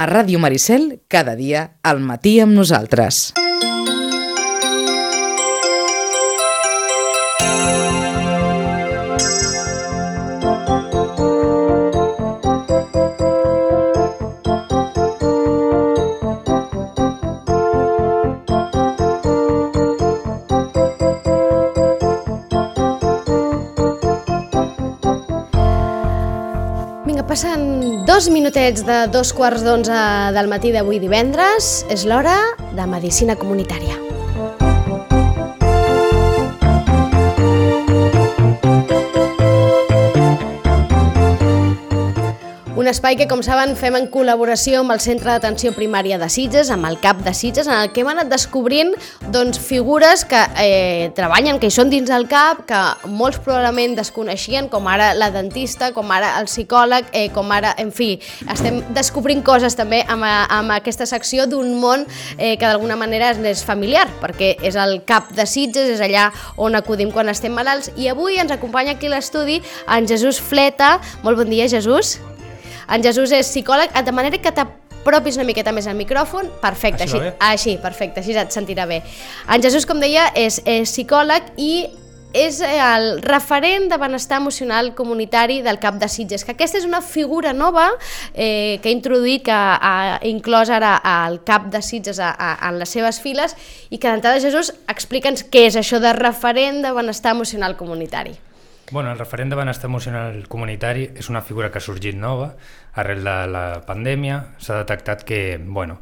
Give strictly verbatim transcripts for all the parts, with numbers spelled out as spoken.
A Ràdio Maricel, cada dia, al matí amb nosaltres. Passen dos minutets de dos quarts d'onze del matí d'avui divendres. És l'hora de Medicina Comunitària. Un espai que, com saben, fem en col·laboració amb el Centre d'Atenció Primària de Sitges, amb el CAP de Sitges, en el que hem anat descobrint doncs, figures que eh, treballen, que hi són dins del CAP, que molts probablement desconeixien, com ara la dentista, com ara el psicòleg, eh, com ara, en fi, estem descobrint coses també amb, amb aquesta secció d'un món eh, que d'alguna manera és familiar, perquè és el CAP de Sitges, és allà on acudim quan estem malalts, i avui ens acompanya aquí a l'estudi en Jesús Fleta. Molt bon dia, Jesús. En Jesús és psicòleg, de manera que t'apropis una miqueta més al micròfon. Perfecte, així, així, perfecte, així et sentirà bé. En Jesús, com deia, és, és psicòleg i és el referent de benestar emocional comunitari del CAP de Sitges, que aquesta és una figura nova eh, que ha introduït, que ha inclòs ara al CAP de Sitges a, a, en les seves files, i que d'entrada, Jesús, explica'ns què és això de referent de benestar emocional comunitari. Bueno, el referent de benestar emocional comunitari és una figura que ha sorgit nova arrel de la pandèmia. S'ha detectat que, bueno,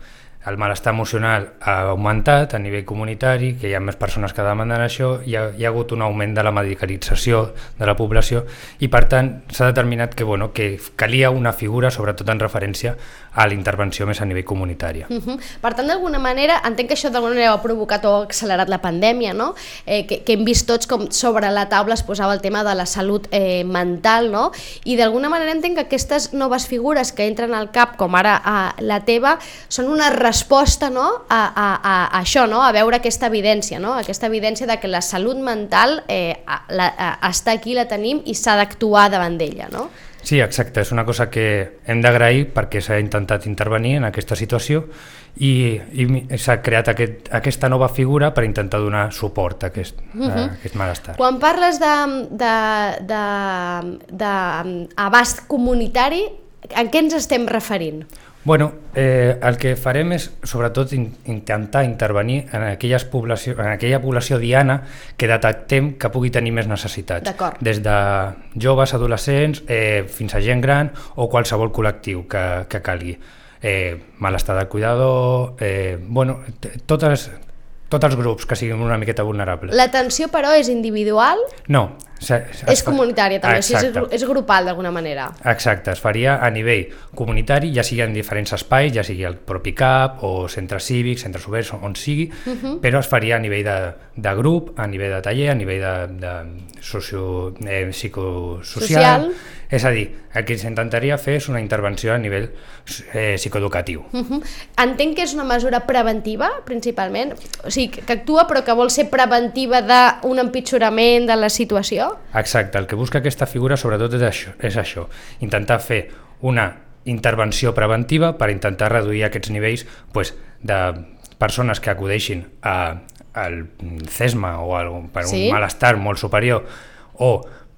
el malestar emocional ha augmentat a nivell comunitari, que hi ha més persones que demanden això, hi ha, hi ha hagut un augment de la medicalització de la població i, per tant, s'ha determinat que, bueno, que calia una figura, sobretot en referència a la intervenció més a nivell comunitari. Uh-huh. Per tant, d'alguna manera, entenc que això d'alguna manera ha provocat o ha accelerat la pandèmia, no? Eh, que, que hem vist tots com sobre la taula es posava el tema de la salut eh, mental, no? I d'alguna manera entenc que aquestes noves figures que entren al CAP, com ara a la teva, són una resposta, no? a, a, a, a això, no? A veure aquesta evidència, no? Aquesta evidència de que la salut mental eh, la, a, està aquí, la tenim i s'ha d'actuar davant d'ella, no? Sí, exacte, és una cosa que hem d'agrair perquè s'ha intentat intervenir en aquesta situació i, i s'ha creat aquest, aquesta nova figura per intentar donar suport a aquest, uh-huh. a aquest malestar. Quan parles d'abast comunitari, en què ens estem referint? Bueno, eh, el que farem és sobretot in, intentar intervenir en, aquelles població, en aquella població diana que detectem que pugui tenir més necessitats. D'acord. Des de joves, adolescents, eh, fins a gent gran o qualsevol col·lectiu que, que calgui. Eh, malestar del cuidador, eh, bueno, totes, tots els grups que siguin una miqueta vulnerables. L'atenció, però, és individual? No. Se, se, és comunitària també, és, és grupal d'alguna manera. Exacte, es faria a nivell comunitari, ja sigui en diferents espais, ja sigui el propi CAP o centres cívics, centres oberts, on sigui, uh-huh. però es faria a nivell de, de grup, a nivell de taller, a nivell de, de socio, eh, psicosocial. Social. És a dir, el que s'intentaria fer és una intervenció a nivell eh, psicoeducatiu. Uh-huh. Entenc que és una mesura preventiva, principalment, o sigui, que actua però que vol ser preventiva d'un empitjorament de la situació? Exacte, el que busca aquesta figura sobretot és això, és això, intentar fer una intervenció preventiva per intentar reduir aquests nivells pues, de persones que acudeixin a, al CESMA o a, per un sí? malestar molt superior o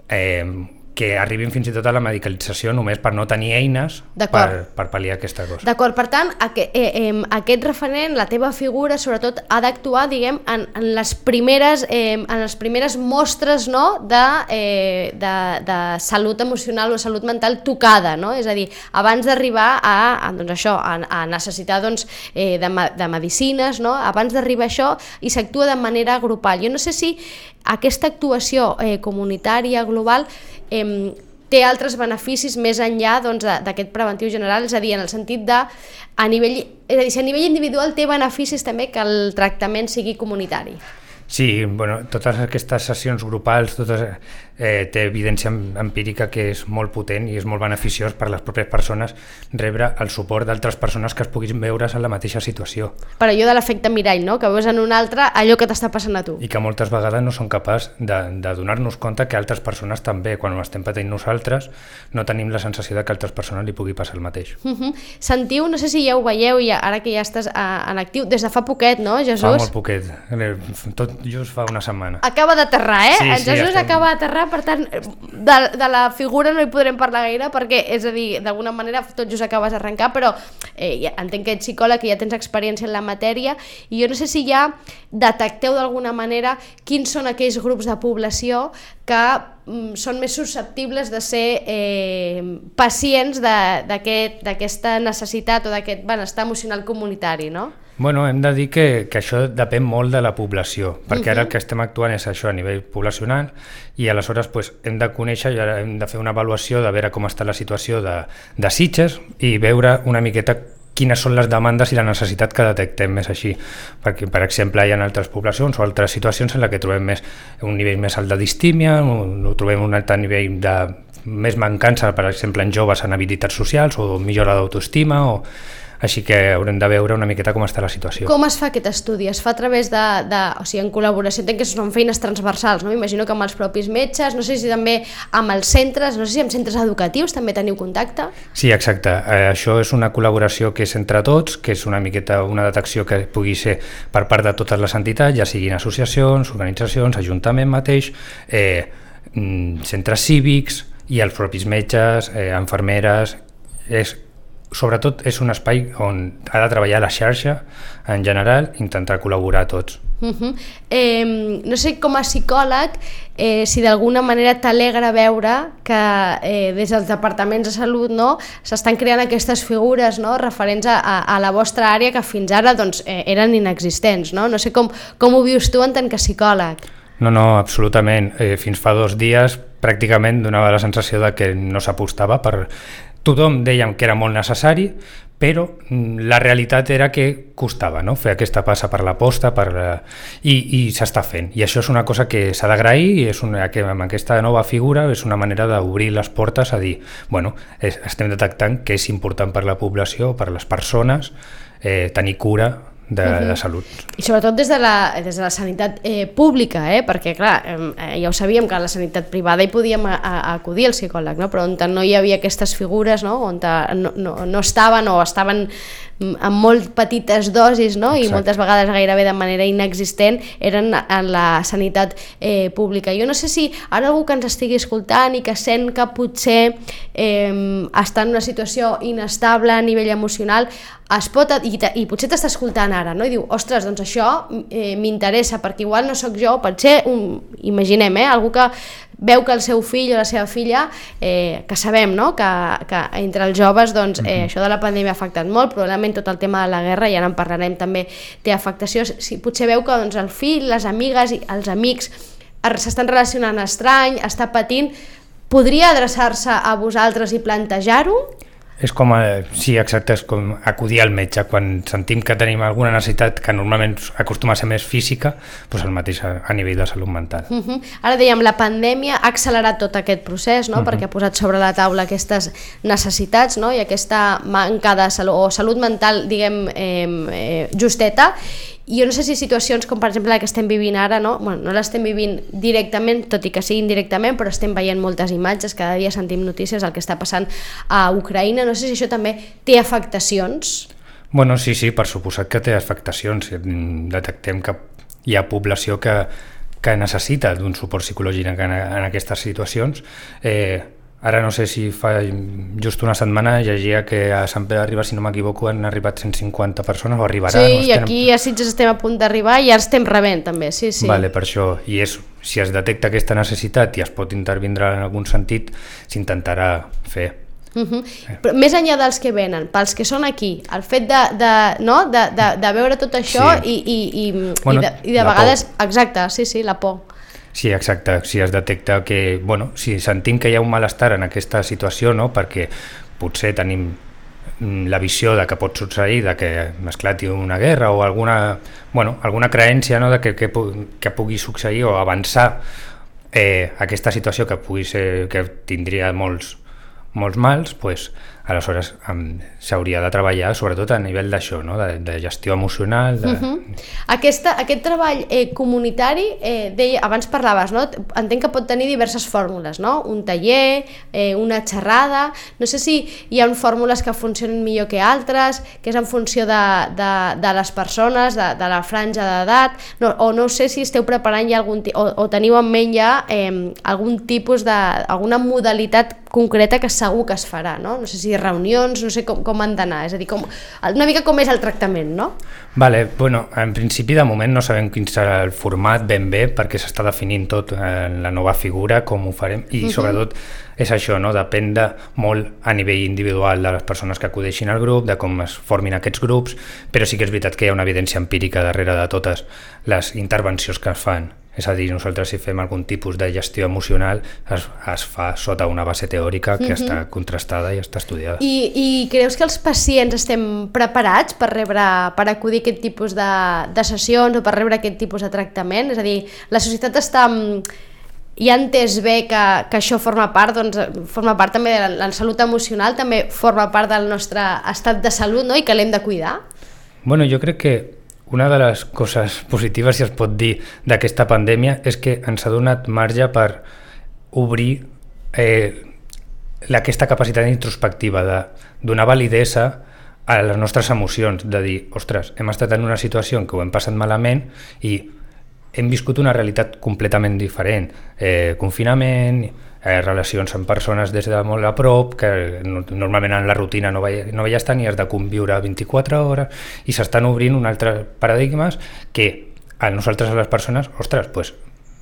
eh, que arribin fins i tot a la medicalització només per no tenir eines per, per pal·liar aquesta cosa. D'acord, per tant, aquest, eh, eh, aquest referent, la teva figura, sobretot, ha d'actuar, diguem, en, en, les primeres, eh, en les primeres mostres, no?, de, eh, de, de salut emocional o salut mental tocada, no? És a dir, abans d'arribar a, a, doncs això, a, a necessitar doncs, eh, de, de medicines, no?, abans d'arribar a això, i s'actua de manera grupal. Jo no sé si aquesta actuació eh, comunitària, global, eh, té altres beneficis més enllà doncs, d'aquest preventiu general, és a dir, en el sentit de, a nivell, és a dir, si a nivell individual té beneficis també que el tractament sigui comunitari. Sí, bueno, totes aquestes sessions grupals, totes, eh, té evidència empírica que és molt potent i és molt beneficiós per a les pròpies persones rebre el suport d'altres persones que es puguin veure's en la mateixa situació. Per allò de l'efecte mirall, no? Que veus en un altre allò que t'està passant a tu. I que moltes vegades no som capaços de, de donar-nos compte que altres persones també, quan ho estem patint nosaltres, no tenim la sensació de que a altres persones li pugui passar el mateix. Uh-huh. Sentiu, no sé si ja ho veieu, ja, ara que ja estàs a, en actiu, des de fa poquet, no, Jesús? Fa molt poquet, tot just fa una setmana. Acaba d'aterrar, eh? Sí, en Jesús sí, estem... acaba d'aterrar, per tant, de, de la figura no hi podrem parlar gaire, perquè, és a dir, d'alguna manera tot just acabes d'arrencar, però eh, ja, entenc que ets psicòleg, que ja tens experiència en la matèria, i jo no sé si ja detecteu d'alguna manera quins són aquells grups de població que mm, són més susceptibles de ser eh, pacients d'aquesta aquest, necessitat o d'aquest benestar emocional comunitari, no? Bueno, hem de dir que, que això depèn molt de la població, perquè uh-huh. ara el que estem actuant és això a nivell poblacional i aleshores pues, hem de conèixer i ara hem de fer una avaluació de veure com està la situació de, de Sitges i veure una miqueta quines són les demandes i la necessitat que detectem més així, perquè per exemple hi ha altres poblacions o altres situacions en les que trobem més, un nivell més alt de distímia, o trobem un altre nivell de més mancança, per exemple en joves en habilitats socials o millora d'autoestima o així que haurem de veure una miqueta com està la situació. Com es fa aquest estudi? Es fa a través de, de o sigui, en col·laboració, entenc que són feines transversals, no? M'imagino que amb els propis metges, no sé si també amb els centres, no sé si amb centres educatius també teniu contacte? Sí, exacte. Eh, això és una col·laboració que és entre tots, que és una miqueta una detecció que pugui ser per part de totes les entitats, ja siguin associacions, organitzacions, ajuntament mateix, eh, centres cívics i els propis metges, eh, infermeres, és sobretot és un espai on ha de treballar la xarxa en general, intentar col·laborar tots. Uh-huh. eh, no sé, com a psicòleg, eh, si d'alguna manera t'alegra veure que eh, des dels departaments de salut, no, s'estan creant aquestes figures, no, referents a, a, a la vostra àrea que fins ara doncs, eh, eren inexistents. No, no sé com, com ho vius tu en tant que psicòleg. No, no, absolutament. Eh, fins fa dos dies pràcticament donava la sensació de que no s'apostava per... Tothom dèiem que era molt necessari, però la realitat era que costava, no? Fer aquesta passa per l'aposta per la... i, i s'està fent. I això és una cosa que s'ha d'agrair i és una, que amb aquesta nova figura és una manera d'obrir les portes a dir, bueno, és, estem detectant que és important per la població, per les persones, eh, tenir cura de, uh-huh. de salut. I sobretot des de la, des de la sanitat eh, pública, eh? Perquè clar, eh, ja ho sabíem que a la sanitat privada hi podíem a, a acudir al psicòleg, no? Però on no hi havia aquestes figures, no? On no, no, no estaven o estaven amb molt petites dosis, no? I moltes vegades gairebé de manera inexistent eren en la sanitat eh, pública. Jo no sé si ara algú que ens estigui escoltant i que sent que potser eh, està en una situació inestable a nivell emocional es pot, i, i potser t'està escoltant ara, no? I diu, ostres, doncs això eh, m'interessa, perquè igual no sóc jo, pot ser, un, imaginem, eh, algú que veu que el seu fill o la seva filla, eh, que sabem, no? que, que entre els joves doncs, eh, això de la pandèmia ha afectat molt, probablement tot el tema de la guerra, ja en parlarem també, té afectació, si potser veu que doncs, el fill, les amigues i els amics s'estan relacionant estrany, està patint, podria adreçar-se a vosaltres i plantejar-ho? És com, a, sí, exacte, és com acudir al metge quan sentim que tenim alguna necessitat que normalment acostuma a ser més física, doncs el mateix a, a nivell de salut mental. Uh-huh. Ara dèiem, la pandèmia ha accelerat tot aquest procés, no? Uh-huh. Perquè ha posat sobre la taula aquestes necessitats, no? I aquesta manca de salut, o salut mental, diguem, eh, eh, justeta. I jo no sé si situacions com per exemple la que estem vivint ara, no, bueno, no l'estem vivint directament, tot i que sigui indirectament, però estem veient moltes imatges, cada dia sentim notícies del que està passant a Ucraïna, no sé si això també té afectacions. Bueno, sí, sí, per suposat que té afectacions. Detectem que hi ha població que, que necessita d'un suport psicològic en, en aquestes situacions. Eh, Ara no sé si fa just una setmana llegia que a Sant Pere de Ribes, si no m'equivoco, han arribat cent cinquanta persones o arribaran. Sí, no i aquí a Sitges estem a punt d'arribar i ja estem rebent també, sí, sí. Vale, per això. I és, si es detecta aquesta necessitat i es pot intervindre en algun sentit, s'intentarà fer. Uh-huh. Però més enllà dels que venen, pels que són aquí, el fet de, de, no? de, de, de veure tot això sí. i, i, i, bueno, i de, i de vegades... Por. Exacte, sí, sí, la por. Sí, exacte, si es detecta que, bueno, si sentim que hi ha un malestar en aquesta situació, no? Perquè potser tenim la visió de que pot succeir, de que esclati una guerra o alguna, bueno, alguna creència, no? de que, que, que pugui succeir o avançar eh, aquesta situació que pugui ser, que tindria molts, molts mals, pues, aleshores um, s'hauria de treballar sobretot a nivell d'això, no? de, de gestió emocional. De... Uh-huh. Aquesta, aquest treball eh, comunitari, eh, deia, abans parlaves, no? Entenc que pot tenir diverses fórmules, no? Un taller, eh, una xerrada, no sé si hi ha fórmules que funcionen millor que altres, que és en funció de, de, de les persones, de, de la franja d'edat, no, o no sé si esteu preparant ja algun, o, o teniu en ment ja eh, algun tipus de, alguna modalitat concreta que segur que es farà, no? No sé si reunions, no sé com, com han d'anar, és a dir, com, una mica com és el tractament, no? Vale, bueno, en principi de moment no sabem quin serà el format ben bé perquè s'està definint tot en la nova figura, com ho farem, i uh-huh. sobretot és això, no? Depèn de molt a nivell individual de les persones que acudeixin al grup, de com es formin aquests grups, però sí que és veritat que hi ha una evidència empírica darrere de totes les intervencions que es fan. És a dir, nosaltres si fem algun tipus de gestió emocional es, es fa sota una base teòrica que uh-huh. està contrastada i està estudiada. I, I creus que els pacients estem preparats per rebre, per acudir a aquest tipus de, de sessions o per rebre aquest tipus de tractament? És a dir, la societat està... ja ha entès bé que, que això forma part, doncs, forma part també de la, la salut emocional, també forma part del nostre estat de salut, no? I que l'hem de cuidar? Bueno, jo crec que una de les coses positives, si es pot dir, d'aquesta pandèmia és que ens ha donat marge per obrir eh, aquesta capacitat introspectiva de donar validesa a les nostres emocions, de dir, ostres, hem estat en una situació en què ho hem passat malament i hem viscut una realitat completament diferent, eh, confinament, eh, relacions amb persones des de molt a prop, que no, normalment en la rutina no veies, no veies tant i has de conviure vint-i-quatre hores, i s'estan obrint un altre paradigmes que a nosaltres, a les persones, ostres, pues,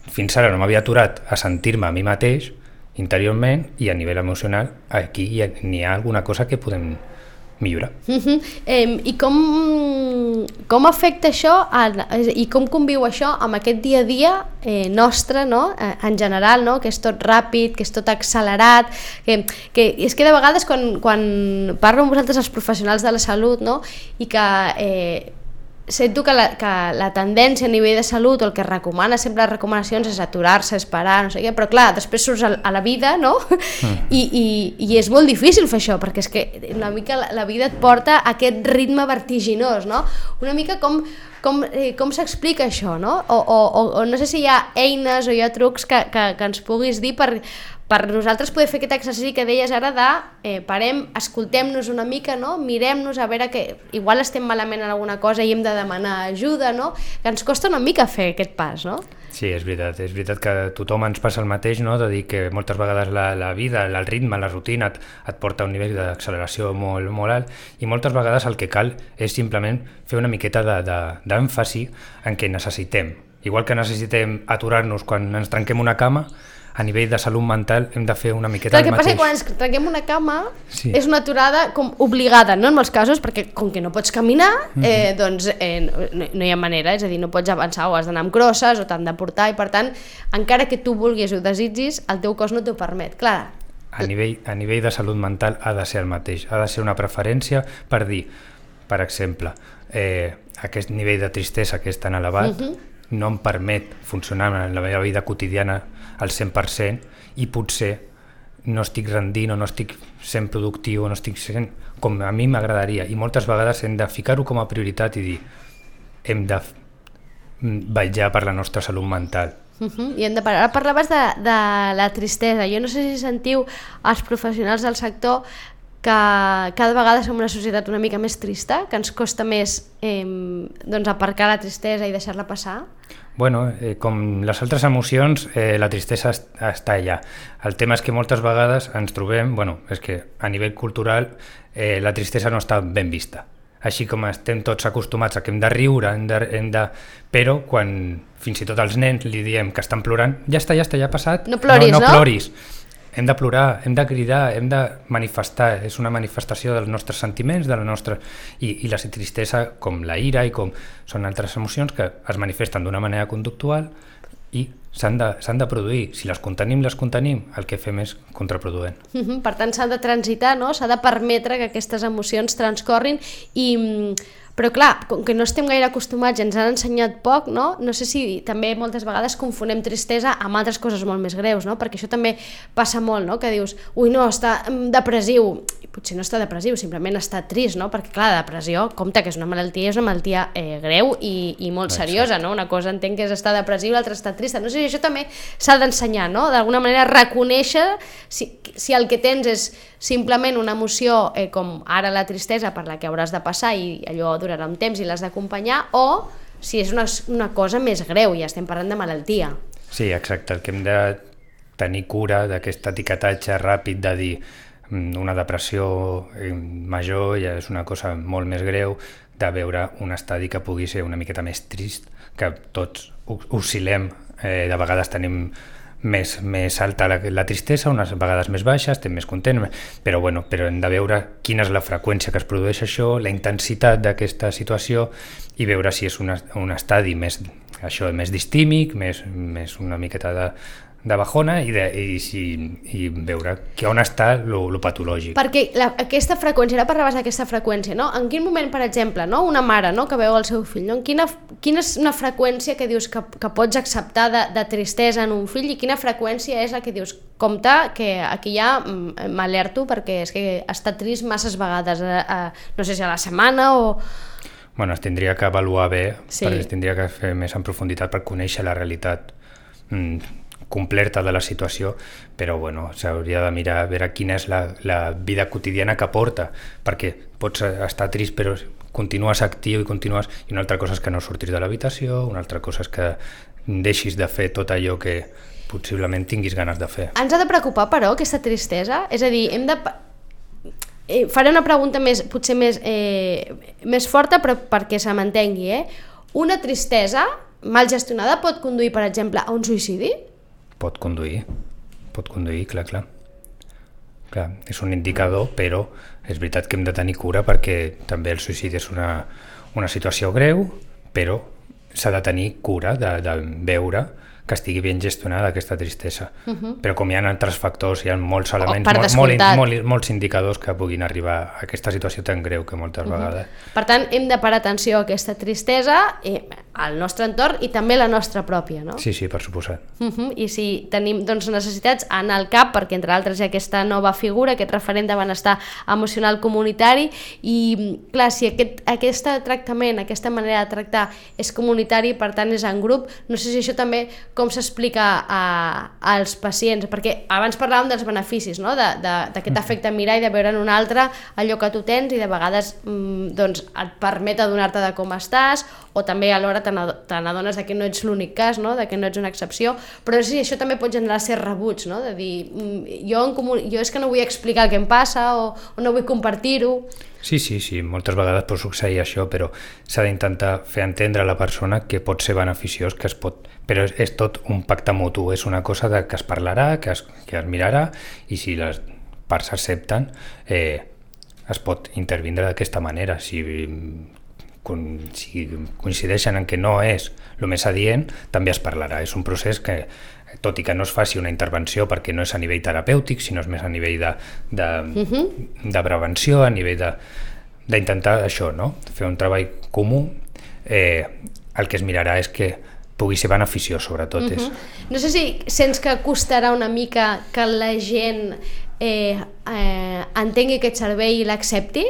fins ara no m'havia aturat a sentir-me a mi mateix interiorment, i a nivell emocional aquí hi ha, n'hi ha alguna cosa que podem millorar. Uh-huh. eh, I com, com afecta això a, i com conviu això amb aquest dia a dia eh, nostre, no? eh, en general, no? Que és tot ràpid, que és tot accelerat, que, que és que de vegades quan, quan parlo amb vosaltres els professionals de la salut, no? I que eh, sento que la, que la tendència a nivell de salut, o el que recomana sempre les recomanacions és aturar-se, esperar, no sé què, però clar, després surts a, a la vida, no? Mm. I, i, I és molt difícil fer això, perquè és que una mica la, la vida et porta a aquest ritme vertiginós, no? Una mica com, com, eh, com s'explica això, no? O, o, o, o no sé si hi ha eines o hi ha trucs que, que, que ens puguis dir per... per nosaltres poder fer aquest exercici que deies ara de eh, parem, escoltem-nos una mica, no? Mirem-nos a veure que igual estem malament en alguna cosa i hem de demanar ajuda, no? Que ens costa una mica fer aquest pas, no? Sí, és veritat, és veritat que a tothom ens passa el mateix, no? De dir que moltes vegades la, la vida, el ritme, la rutina et, et porta a un nivell d'acceleració molt, molt alt, i moltes vegades el que cal és simplement fer una miqueta d'èmfasi en què necessitem. Igual que necessitem aturar-nos quan ens trenquem una cama, a nivell de salut mental hem de fer una miqueta el el mateix. El que passa que quan ens trenquem una cama sí. és una aturada com obligada, no en molts casos, perquè com que no pots caminar, mm-hmm. eh, doncs eh, no, no hi ha manera, és a dir, no pots avançar o has d'anar amb crosses o t'han de portar, i per tant, encara que tu vulguis o desitgis, el teu cos no t'ho permet, clar. A nivell, a nivell de salut mental ha de ser el mateix, ha de ser una preferència per dir, per exemple, eh, aquest nivell de tristesa que és tan elevat, mm-hmm. no em permet funcionar en la meva vida quotidiana al cent per cent, i potser no estic rendint o no estic sent productiu o no estic sent com a mi m'agradaria, i moltes vegades hem de ficar-ho com a prioritat i dir hem de vetllar per la nostra salut mental. Uh-huh. I hem de parar. Ara parlaves de, de la tristesa. Jo no sé si sentiu els professionals del sector que cada vegada som una societat una mica més trista, que ens costa més eh, doncs aparcar la tristesa i deixar-la passar. Bueno, eh, com les altres emocions, eh, la tristesa est- està allà. El tema és que moltes vegades ens trobem, bueno, és que a nivell cultural eh, la tristesa no està ben vista. Així com estem tots acostumats a que hem de riure, hem de, hem de... però quan fins i tot als nens li diem que estan plorant, ja està, ja està, ja ha passat. No ploris, no? No, no ploris. Hem de plorar, hem de cridar, hem de manifestar, és una manifestació dels nostres sentiments, de la nostra... I, i la tristesa, com la ira i com són altres emocions que es manifesten d'una manera conductual i s'han de, s'han de produir. Si les contenim, les contenim, el que fem és contraproduent. Uh-huh. Per tant, s'ha de transitar, no? S'ha de permetre que aquestes emocions transcorrin i... Però clar, com que no estem gaire acostumats i ens han ensenyat poc, no? No sé si també moltes vegades confonem tristesa amb altres coses molt més greus, no? Perquè això també passa molt, no? Que dius, ui no, està depressiu, i potser no està depressiu, simplement està trist, no? Perquè clar, la depressió, compte que és una malaltia, és una malaltia eh, greu i, i molt seriosa, no? Una cosa entenc que és estar depressiu, l'altra està trista, no sé si això també s'ha d'ensenyar, no? D'alguna manera reconèixer si, si el que tens és simplement una emoció eh, com ara la tristesa per la que hauràs de passar i allò durarà un temps i l'has d'acompanyar, o si és una, una cosa més greu, ja estem parlant de malaltia. Sí, exacte, el que hem de tenir cura d'aquest etiquetatge ràpid de dir una depressió major ja és una cosa molt més greu, de veure un estadi que pugui ser una miqueta més trist, que tots oscil·lem, eh, de vegades tenim més, més alta la, la tristesa, unes vegades més baixa, estem més contents, però, bueno, però hem de veure quina és la freqüència que es produeix això, la intensitat d'aquesta situació i veure si és una, un estadi més, això, més distímic, més, més una miqueta de, de bajona i, de, i, si, i veure que on està lo patològic. Perquè la, aquesta freqüència, ara parlaves d'aquesta freqüència, no? En quin moment, per exemple, no? Una mare, no? Que veu el seu fill, no? En quina, quina és una freqüència que dius que, que pots acceptar de, de tristesa en un fill i quina freqüència és la que dius, compte, que aquí ja m'alerto perquè és que està trist masses vegades, a, a, no sé si a la setmana o... Bueno, es tindria que avaluar bé, sí. Es tindria que fer més en profunditat per conèixer la realitat mm, completa de la situació, però bueno, s'hauria de mirar a veure quina és la, la vida quotidiana que porta, perquè pots estar trist però continues actiu i continues... I una altra cosa és que no surtis de l'habitació, una altra cosa és que deixis de fer tot allò que possiblement tinguis ganes de fer. Ens ha de preocupar, però, aquesta tristesa? És a dir, hem de... Eh, faré una pregunta més, potser més, eh, més forta, però perquè se m'entengui, eh? Una tristesa mal gestionada pot conduir, per exemple, a un suïcidi? Pot conduir, pot conduir, clar, clar. Clar, és un indicador, però és veritat que hem de tenir cura perquè també el suïcidi és una, una situació greu, però s'ha de tenir cura de, de veure que estigui ben gestionada aquesta tristesa. Uh-huh. Però com hi ha altres factors, hi ha molts elements, oh, molt, molt, molt, molts indicadors que puguin arribar a aquesta situació tan greu que moltes uh-huh. vegades. Per tant, hem de parar atenció a aquesta tristesa, eh, al nostre entorn i també la nostra pròpia, no? Sí, sí, per suposat. Uh-huh. I si tenim doncs, necessitats, anar al CAP, perquè entre altres hi ha aquesta nova figura, aquest referent de benestar emocional comunitari, i clar, si aquest, aquest tractament, aquesta manera de tractar és comunitari, per tant és en grup, no sé si això també com s'explica a, als pacients, perquè abans parlàvem dels beneficis, no? D'aquest efecte mirar i de veure en un altre allò que tu tens i de vegades mm, doncs, et permet adonar-te de com estàs, o també alhora te n'adones que no ets l'únic cas, no? De que no ets una excepció, però sí, això també pot generar ser rebuig, no? De dir, jo, en comú, jo és que no vull explicar el que em passa o, o no vull compartir-ho. Sí, sí, sí, moltes vegades pot succeir això, però s'ha d'intentar fer entendre a la persona que pot ser beneficiós, que es pot... però és, és tot un pacte mutu, és una cosa de, que es parlarà, que es, que es mirarà, i si les parts s'accepten, eh, es pot intervindre d'aquesta manera. Si, si coincideixen en que no és el més adient, també es parlarà. És un procés que, tot i que no es faci una intervenció perquè no és a nivell terapèutic, sinó és més a nivell de, de, uh-huh. de prevenció, a nivell de, d'intentar això, no? Fer un treball comú, eh, el que es mirarà és que pugui ser beneficiós, sobretot. Uh-huh. és... No sé si sents que costarà una mica que la gent eh, eh, entengui aquest servei i l'accepti.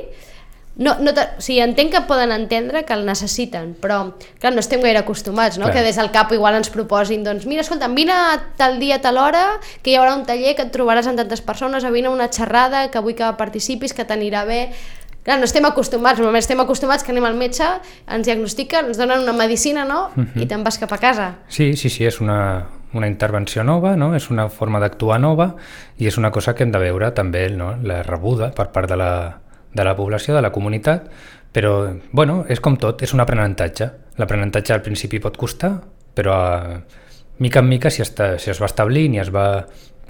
No, no o sigui, entenc que poden entendre que el necessiten, però clar, no estem gaire acostumats, no? Que des del CAP igual ens proposin, doncs mira, escolta, vine tal dia, tal hora, que hi haurà un taller que et trobaràs amb tantes persones, o vine a una xerrada, que vull que participis, que t'anirà bé. Clar, no estem acostumats, només estem acostumats que anem al metge, ens diagnostiquen, ens donen una medicina, no? Uh-huh. I te'n vas cap a casa. Sí, sí, sí, és una, una intervenció nova, no? És una forma d'actuar nova i és una cosa que hem de veure també, no? La rebuda per part de la, de la població, de la comunitat, però, bueno, és com tot, és un aprenentatge. L'aprenentatge al principi pot costar, però a, mica en mica si, està, si es va establint i es va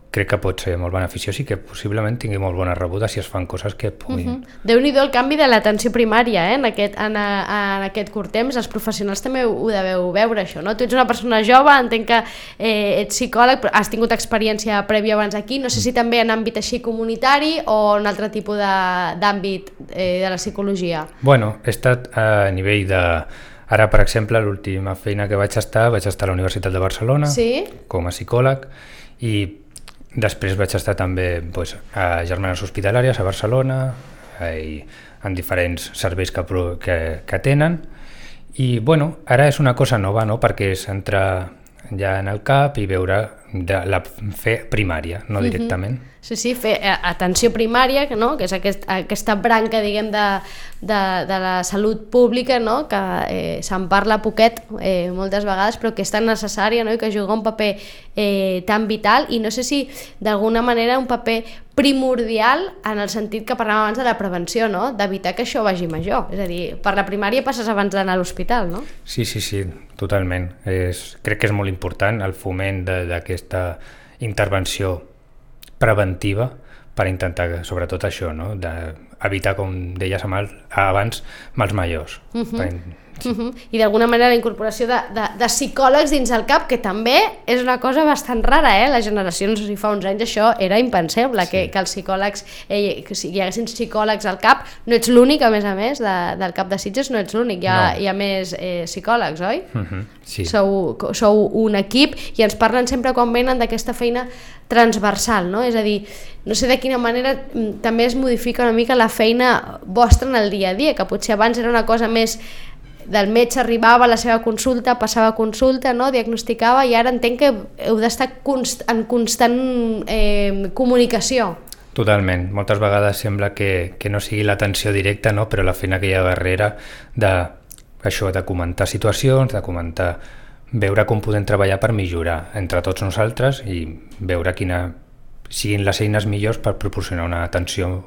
crec que pot ser molt beneficiós i que possiblement tingui molt bona rebuda si es fan coses que puguin... Uh -huh. Déu-n'hi-do el canvi de l'atenció primària, eh? en, aquest, en, a, en aquest curt temps. Els professionals també ho, ho deveu veure, això, no? Tu ets una persona jove, entenc que eh, ets psicòleg, però has tingut experiència prèvia abans aquí, no sé si també en àmbit així comunitari o en altre tipus d'àmbit eh, de la psicologia. Bueno, he estat a nivell de... Ara, per exemple, l'última feina que vaig estar, vaig estar a la Universitat de Barcelona, sí? Com a psicòleg, i després vaig estar també doncs, a Germanes Hospitalàries a Barcelona i en diferents serveis que, que, que tenen. I bueno, ara és una cosa nova, no? Perquè és entrar ja en el CAP i veure de la fer primària, no directament. Uh-huh. Sí, sí, fer atenció primària, no? Que és aquest, aquesta branca, diguem, de, de, de la salut pública, no? Que eh, se'n parla poquet eh, moltes vegades, però que és tan necessària, no? I que juga un paper eh, tan vital, i no sé si d'alguna manera un paper primordial en el sentit que parlàvem abans de la prevenció, no? D'evitar que això vagi major. És a dir, per la primària passes abans d'anar a l'hospital, no? Sí, sí, sí, totalment. És, crec que és molt important el foment d'aquesta intervenció preventiva per intentar, sobretot això, no? D'evitar, com deies abans, mals majors. Uh -huh. per... sí. uh -huh. I d'alguna manera la incorporació de, de, de psicòlegs dins el CAP, que també és una cosa bastant rara, eh? Les generacions, si fa uns anys això era impensable, sí. que, que els psicòlegs, eh, que si hi haguessin psicòlegs al CAP. No ets l'únic, a més a més, de, del CAP de Sitges, no ets l'únic, hi, no. hi ha més eh, psicòlegs, oi? Uh -huh. Sí. Sou, sou un equip i ens parlen sempre quan venen d'aquesta feina transversal, no? És a dir, no sé de quina manera també es modifica una mica la feina vostra en el dia a dia, que potser abans era una cosa més del metge, arribava a la seva consulta, passava consulta, no? Diagnosticava, i ara entenc que heu d'estar const en constant eh, comunicació. Totalment. Moltes vegades sembla que, que no sigui l'atenció directa, no? Però la feina que hi ha darrere de, això, de comentar situacions, de comentar, veure com podem treballar per millorar entre tots nosaltres i veure quina siguin les eines millors per proporcionar una atenció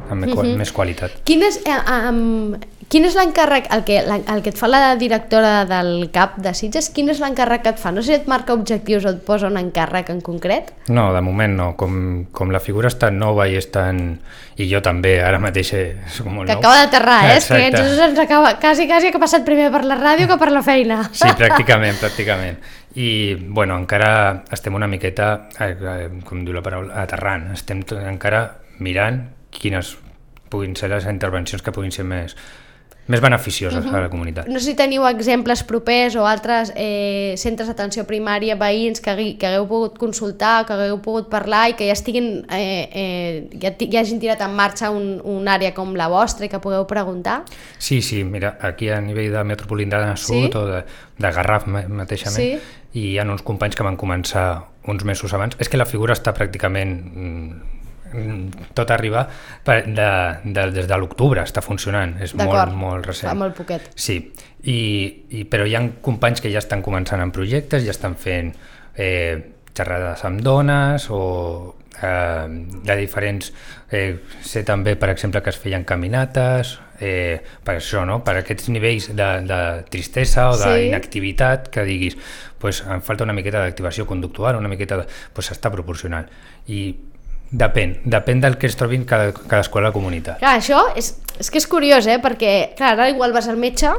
amb uh-huh. més qualitat. Quin és, eh, um, quin és l'encàrrec, el que, el que et fa la directora del CAP de Sitges, quin és l'encàrrec que et fa? No sé si et marca objectius o et posa un encàrrec en concret? No, de moment no. Com, com la figura està nova i estan... I jo també, ara mateix és com molt que nou. acaba d'aterrar, eh? És que Jesús ens acaba, quasi, quasi que ha passat primer per la ràdio que per la feina. Sí, pràcticament, pràcticament. I, bueno, encara estem una miqueta, eh, com diu la paraula, aterrant. Estem encara mirant quines puguin ser les intervencions que puguin ser més, més beneficioses uh-huh. a la comunitat. No sé si teniu exemples propers o altres eh, centres d'atenció primària, veïns que, que hagueu pogut consultar, que hagueu pogut parlar i que ja estiguin eh, eh, ja, ja hagin tirat en marxa un, un àrea com la vostra i que pugueu preguntar? Sí, sí, mira, aquí a nivell de Metropolitana Sud, sí? O de, de Garraf mateixament, sí? I hi ha uns companys que van començar uns mesos abans. És que la figura està pràcticament... tot arriba de, de, des de l'octubre està funcionant, és molt, molt recent. Fa molt poquet. Sí, I, i, però hi ha companys que ja estan començant en projectes, ja estan fent eh, xerrades amb dones o eh, de diferents... Eh, sé també, per exemple, que es feien caminates, eh, per això, no? Per aquests nivells de, de tristesa o d'inactivitat, sí? Que diguis, pues, em falta una miqueta d'activació conductual, una miqueta de... Pues s'està proporcionant. I Depèn, depèn del que es trobin cada, cadascú a la comunitat. Clar, això és, és que és curiós, eh? Perquè clar, ara igual vas al metge,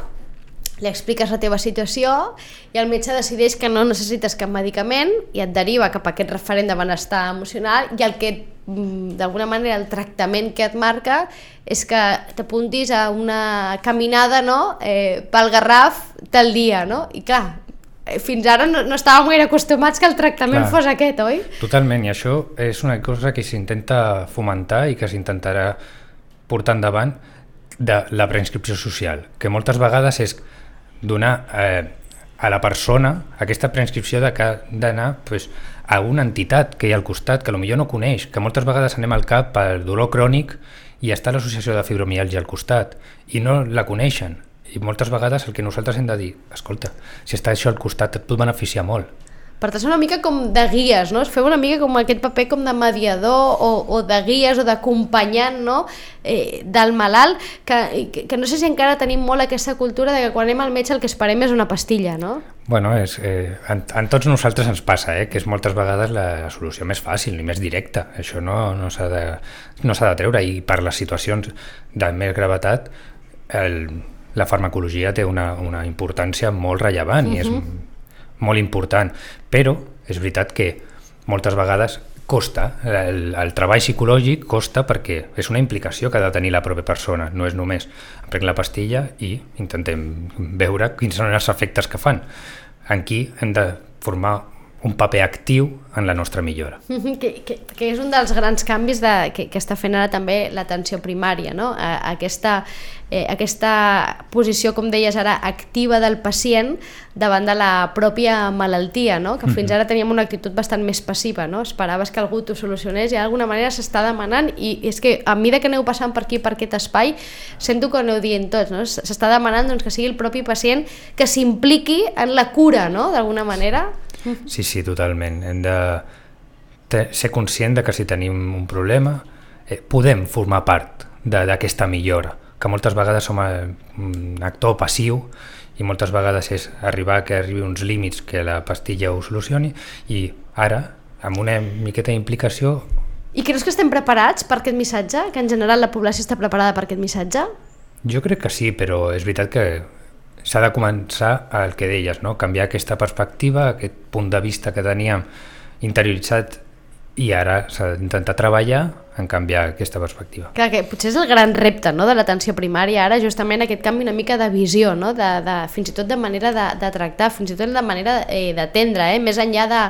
li expliques la teva situació i el metge decideix que no necessites cap medicament i et deriva cap a aquest referent de benestar emocional, i el que d'alguna manera el tractament que et marca és que t'apuntis a una caminada, no? eh, pel Garraf tal dia, no? I clar, fins ara no, no estàvem gaire acostumats que el tractament Clar, fos aquest, oi? Totalment, i això és una cosa que s'intenta fomentar i que s'intentarà portar endavant de la preinscripció social, que moltes vegades és donar eh, a la persona aquesta preinscripció de que ha d'anar pues, a una entitat que hi ha al costat, que potser no coneix, que moltes vegades anem al CAP per dolor crònic i està l'associació de fibromiàlgia al costat i no la coneixen. I moltes vegades el que nosaltres hem de dir, escolta, si està això al costat et pot beneficiar molt. Per tant, una mica com de guies, no? Es feu una mica com aquest paper com de mediador o, o de guies o d'acompanyant, no? eh, del malalt, que, que, que no sé si encara tenim molt aquesta cultura de que quan anem al metge el que esperem és una pastilla, no? Bueno, és, eh, en, en tots nosaltres ens passa, eh, que és moltes vegades la solució més fàcil i més directa. Això no, no s'ha de, no s'ha de treure, i per les situacions de més gravetat el, la farmacologia té una, una importància molt rellevant, uh-huh. i és molt important, però és veritat que moltes vegades costa, el, el treball psicològic costa perquè és una implicació que ha de tenir la pròpia persona, no és només em prenc la pastilla i intentem veure quins són els efectes que fan. Aquí hem de formar un paper actiu en la nostra millora. Que, que, que és un dels grans canvis de, que, que està fent ara també l'atenció primària, no? Aquesta, eh, aquesta posició, com deies ara, activa del pacient davant de la pròpia malaltia, no? Que fins ara teníem una actitud bastant més passiva, no? Esperaves que algú t'ho solucionés i d'alguna manera s'està demanant, i és que a mesura que aneu passant per aquí, per aquest espai, sento que aneu dient tots, no? S'està demanant, doncs, que sigui el propi pacient que s'impliqui en la cura, no? D'alguna manera. Sí, sí, totalment. Hem de ser conscient de que si tenim un problema eh, podem formar part d'aquesta millora, que moltes vegades som un actor passiu i moltes vegades és arribar que arribi uns límits que la pastilla ho solucioni, i ara, amb una miqueta d'implicació... I creus que estem preparats per aquest missatge? Que en general la població està preparada per aquest missatge? Jo crec que sí, però és veritat que s'ha de començar el que deies, no? Canviar aquesta perspectiva, aquest punt de vista que teníem interioritzat, i ara s'ha d'intentar treballar en canviar aquesta perspectiva. Clar, que potser és el gran repte, no?, de l'atenció primària ara, justament aquest canvi una mica de visió, no?, de, de, fins i tot de manera de, de tractar, fins i tot de manera eh, d'atendre, eh? Més enllà de,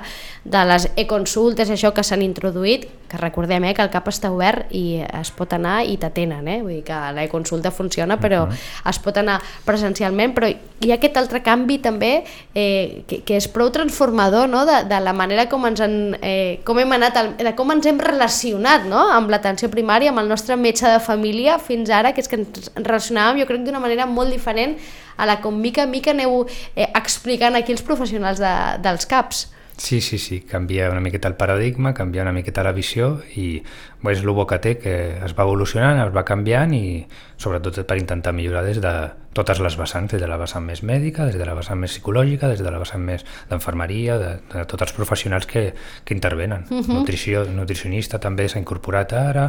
de les e-consultes, això que s'han introduït, que recordem eh, que el CAP està obert i es pot anar i t'atenen, eh? Vull dir que l'e-consulta funciona, però uh-huh. es pot anar presencialment, però hi ha aquest altre canvi també eh, que, que és prou transformador, no?, de, de la manera com ens, en, eh, com hem anat, al, de com ens hem relacionat, no?, amb l'atenció primària, amb el nostre metge de família fins ara, que és que ens relacionàvem jo crec d'una manera molt diferent a la com mica a mica aneu eh, explicant aquí els professionals de, dels CAPs. Sí, sí, sí, canvia una miqueta el paradigma, canvia una miqueta la visió, i bé, és el bo que té, que es va evolucionant, es va canviant, i sobretot per intentar millorar des de totes les vessants, des de la vessant més mèdica, des de la vessant més psicològica, des de la vessant més d'enfermeria, de, de tots els professionals que, que intervenen. Uh-huh. Nutrició, nutricionista també s'ha incorporat ara,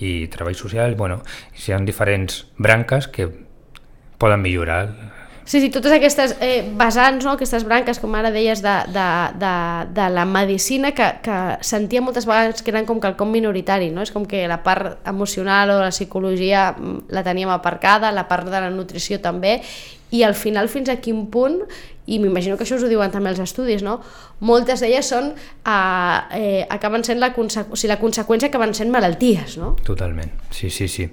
i treball social, bueno, hi ha diferents branques que poden millorar. Sí, sí, totes aquestes eh, vessants, no? Aquestes branques, com ara deies, de, de, de, de la medicina, que, que sentia moltes vegades que eren com quelcom minoritari, no? És com que la part emocional o la psicologia la teníem aparcada, la part de la nutrició també, i al final fins a quin punt, i m'imagino que això us ho diuen també els estudis, no? Moltes d'elles són, eh, eh, acaben sent la, consequ... o sigui, la conseqüència acaben sent malalties, no? Totalment, sí, sí, sí.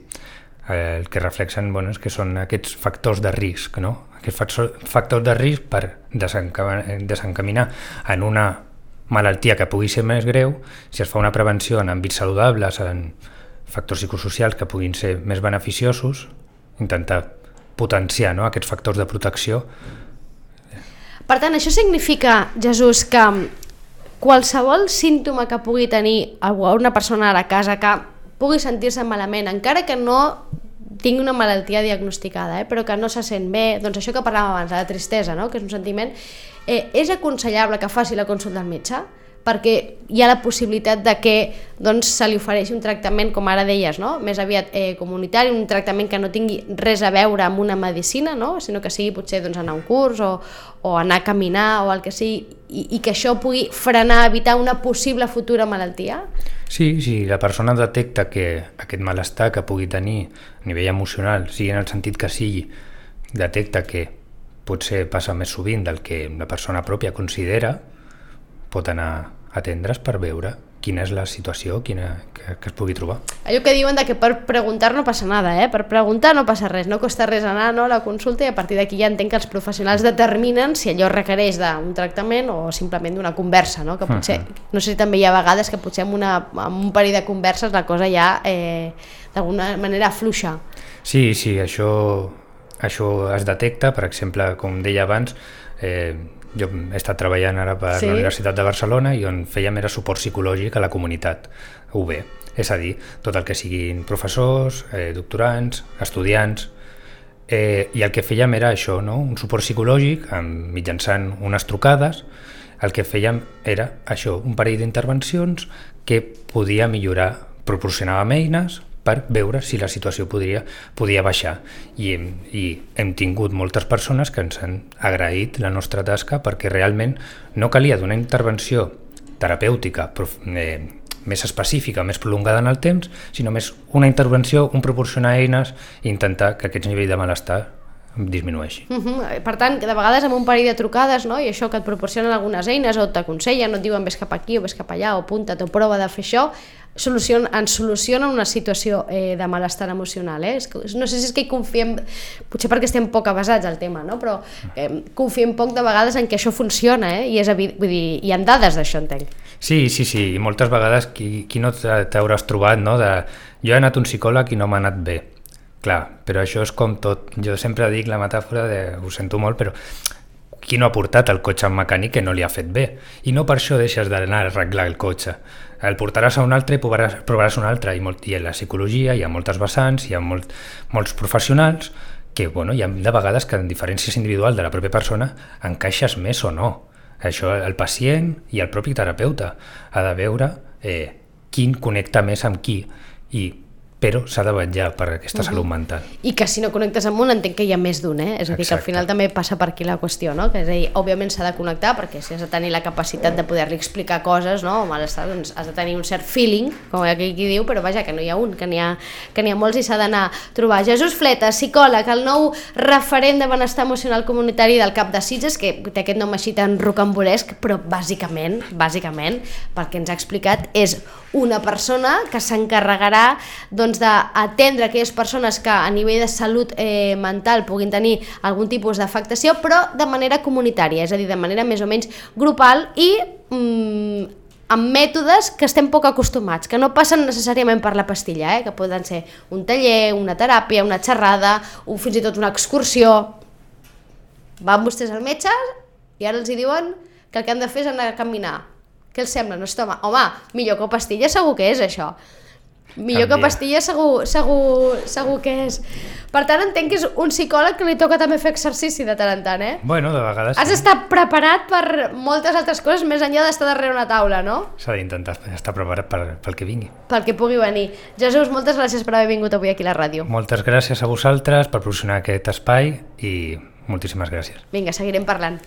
El que reflexen, bueno, és que són aquests factors de risc, no? Aquests factors de risc per desencaminar en una malaltia que pugui ser més greu. Si es fa una prevenció en àmbits saludables, en factors psicosocials que puguin ser més beneficiosos, intentar potenciar, no?, aquests factors de protecció. Per tant, això significa, Jesús, que qualsevol símptoma que pugui tenir una persona a la casa que pugui sentir-se malament, encara que no tingui una malaltia diagnosticada, eh, però que no se sent bé, doncs això que parlàvem abans, la tristesa, no?, que és un sentiment, eh, és aconsellable que faci la consulta al metge, perquè hi ha la possibilitat de que doncs, se li ofereixi un tractament, com ara deies, no?, més aviat eh, comunitari, un tractament que no tingui res a veure amb una medicina, no?, sinó que sigui potser doncs, anar a un curs o, o anar a caminar o el que sigui, i, i que això pugui frenar, evitar una possible futura malaltia? Sí, si la persona detecta que aquest malestar que pugui tenir a nivell emocional, sigui en el sentit que sigui, detecta que potser passa més sovint del que la persona pròpia considera, pot anar a atendre's per veure quina és la situació quina, que, que es pugui trobar. Allò que diuen de que per preguntar no passa nada, eh? Per preguntar no passa res, no costa res anar, no, a la consulta, i a partir d'aquí ja entenc que els professionals determinen si allò requereix d'un tractament o simplement d'una conversa, no? Que potser, uh-huh. no sé si també hi ha vegades que potser amb, una, amb un parell de converses la cosa ja eh, d'alguna manera afluixa. Sí, sí, això, això es detecta, per exemple, com deia abans, eh, Jo he estat treballant ara per Sí. la Universitat de Barcelona i on fèiem era suport psicològic a la comunitat U B, és a dir, tot el que siguin professors, eh, doctorants, estudiants, eh, i el que fèiem era això, no? Un suport psicològic amb, mitjançant unes trucades. El que fèiem era això, un parell d'intervencions que podia millorar, proporcionàvem eines per veure si la situació podria, podia baixar. I hem, I hem tingut moltes persones que ens han agraït la nostra tasca perquè realment no calia donar intervenció terapèutica eh, més específica, més prolongada en el temps, sinó més una intervenció, un proporcionar eines i intentar que aquest nivell de malestar disminueixi. Uh -huh. Per tant, de vegades amb un parell de trucades, no? I això que et proporcionen algunes eines o t'aconsellen, no et diuen ves cap aquí o ves cap allà o apunta't o prova de fer això, solucion, ens solucionen una situació eh, de malestar emocional. Eh? No sé si és que hi confiem, potser perquè estem poc avasats al tema, no? Però eh, confiem poc de vegades en que això funciona, eh? I és evident, vull dir, hi ha dades d'això, entenc. Sí, sí, sí, i moltes vegades qui, qui no t'hauràs trobat, no? De, jo he anat a un psicòleg i no m'ha anat bé. Clar, però això és com tot. Jo sempre dic la metàfora de, ho sento molt, però qui no ha portat el cotxe en mecànic que no li ha fet bé? I no per això deixes d'anar a arreglar el cotxe. El portaràs a un altre i provaràs, provaràs un altre. I, molt, I en la psicologia hi ha moltes vessants, hi ha molt, molts professionals que, bueno, hi ha de vegades que en diferències individuals de la pròpia persona encaixes més o no. Això el pacient i el propi terapeuta ha de veure eh, quin connecta més amb qui, i però s'ha de vetllar per aquesta uh -huh. salut mental. I que si no connectes amb un, entenc que hi ha més d'un, eh? És a dir, que al final també passa per aquí la qüestió, no? Que és a dir, òbviament s'ha de connectar, perquè si has de tenir la capacitat de poder-li explicar coses, no? O malestar, doncs has de tenir un cert feeling, com aquí qui diu, però vaja, que no hi ha un, que n'hi ha, que n'hi ha molts i s'ha d'anar a trobar. Jesús Fleta, psicòleg, el nou referent de benestar emocional comunitari del CAP de Sitges, que té aquest nom així tan rocambolesc, però bàsicament, bàsicament, pel que ens ha explicat, és una persona que s'encarregarà doncs, d'atendre aquelles persones que a nivell de salut eh, mental puguin tenir algun tipus d'afectació, però de manera comunitària, és a dir, de manera més o menys grupal i mm, amb mètodes que estem poc acostumats, que no passen necessàriament per la pastilla, eh? Que poden ser un taller, una teràpia, una xerrada, o fins i tot una excursió. Van vostès al metge i ara els hi diuen que el que han de fer és anar a caminar. Què els sembla? No es toma. Home, millor que pastilla segur que és això. Millor Canvia. Que pastilla segur, segur, segur que és. Per tant, entenc que és un psicòleg que li toca també fer exercici de tant en tant, eh? Bueno, de vegades Has sí. d'estar preparat per moltes altres coses més enllà d'estar darrere una taula, no? S'ha d'intentar estar preparat per, pel que vingui. Pel que pugui venir. Jesús, moltes gràcies per haver vingut avui aquí a la ràdio. Moltes gràcies a vosaltres per proporcionar aquest espai i moltíssimes gràcies. Vinga, seguirem parlant.